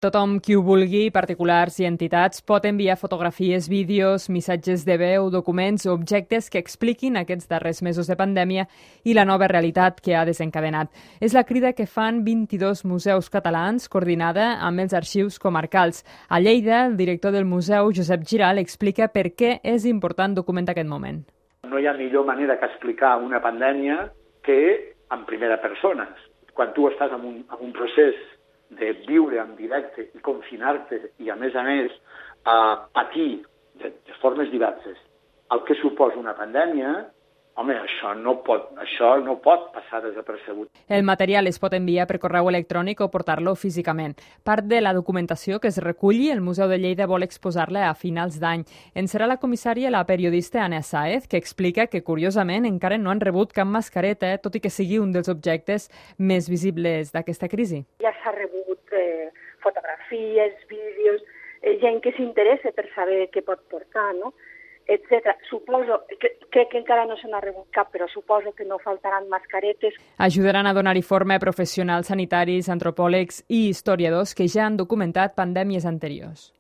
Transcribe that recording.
Tothom qui ho vulgui, particulars i entitats, pot enviar fotografies, vídeos, missatges de veu, documents o objectes que expliquin aquests darrers mesos de pandèmia i la nova realitat que ha desencadenat. És la crida que fan 22 museus catalans, coordinada amb els arxius comarcals. A Lleida, el director del museu, Josep Giral, explica per què és important documentar aquest moment. No hi ha millor manera que explicar una pandèmia que en primera persona. Quan tu estàs en un procés de viure en directe i confinar-te i, a més, patir de formes diverses el que suposa una pandèmia, home, això no pot passar desapercebut. El material es pot enviar per correu electrònic o portar-lo físicament. Part de la documentació que es reculli, el Museu de Lleida vol exposar-la a finals d'any. En serà la comissària la periodista Anna Sáez, que explica que, curiosament, encara no han rebut cap mascareta, tot i que sigui un dels objectes més visibles d'aquesta crisi. Ja s'ha rebut fotografies, vídeos, gent que s'interessa per saber què pot portar, no? Etcètera. Suposo que encara no se n'ha rebut cap, però suposo que no faltaran mascaretes. Ajudaran a donar-hi forma a professionals sanitaris, antropòlegs i historiadors que ja han documentat pandèmies anteriors.